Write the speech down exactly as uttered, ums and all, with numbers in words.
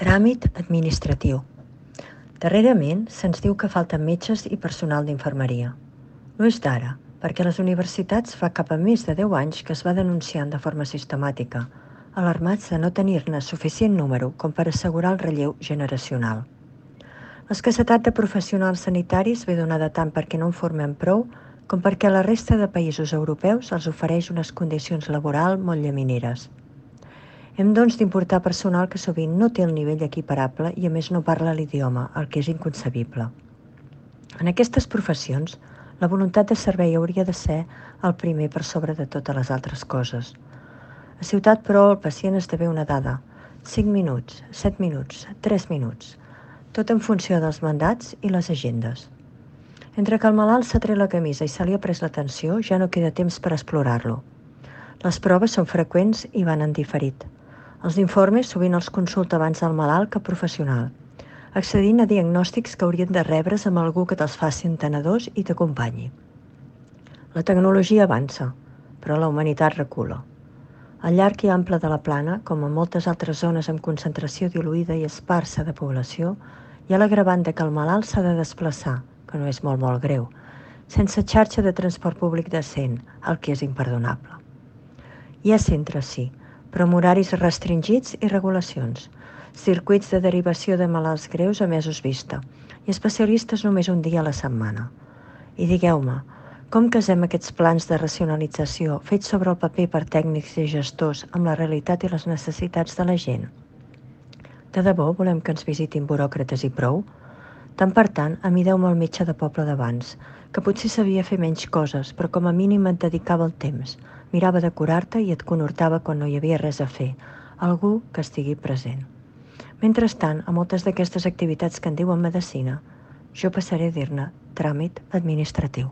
Tràmit administratiu. Darrerament se'ns diu que falten metges i personal d'infermeria. No és d'ara, perquè a les universitats fa cap a més de deu anys que es va denunciant de forma sistemàtica, alarmats de no tenir-ne suficient número com per assegurar el relleu generacional. L'escassetat de professionals sanitaris ve donada tant perquè no en formem prou com perquè la resta de països europeus els ofereix unes condicions laborals molt llamineres. Hem doncs d'importar personal que sovint no té el nivell equiparable i a més no parla l'idioma, el que és inconcebible. En aquestes professions, la voluntat de servei hauria de ser el primer per sobre de totes les altres coses. A ciutat, però, el pacient esdevé una dada, cinc minuts, set minuts, tres minuts, tot en funció dels mandats i les agendes. Entre que el malalt s'ha tret la camisa i se li ha pres l'atenció, ja no queda temps per explorar-lo. Les proves són freqüents i van en diferit. Els informes sovint els consulta abans el malalt que professional, accedint a diagnòstics que haurien de rebre's amb algú que te'ls faci entenedors i t'acompanyi. La tecnologia avança, però la humanitat recula. Al llarg i ample de la plana, com en moltes altres zones amb concentració diluïda i esparsa de població, hi ha l'agravant que el malalt s'ha de desplaçar, que no és molt molt greu, sense xarxa de transport públic decent, el que és imperdonable. Hi ha centres, sí, però amb horaris restringits i regulacions, circuits de derivació de malalts greus a mesos vista i especialistes només un dia a la setmana. I digueu-me, com casem aquests plans de racionalització fets sobre el paper per tècnics i gestors amb la realitat i les necessitats de la gent? De debò volem que ens visitin buròcrates i prou? Tant per tant, amideu-me el metge de poble d'abans, que potser sabia fer menys coses, però com a mínim et dedicava el temps, mirava de curar-te i et conhortava quan no hi havia res a fer, algú que estigui present. Mentrestant, a moltes d'aquestes activitats que en diuen medicina, jo passaré a dir-ne tràmit administratiu.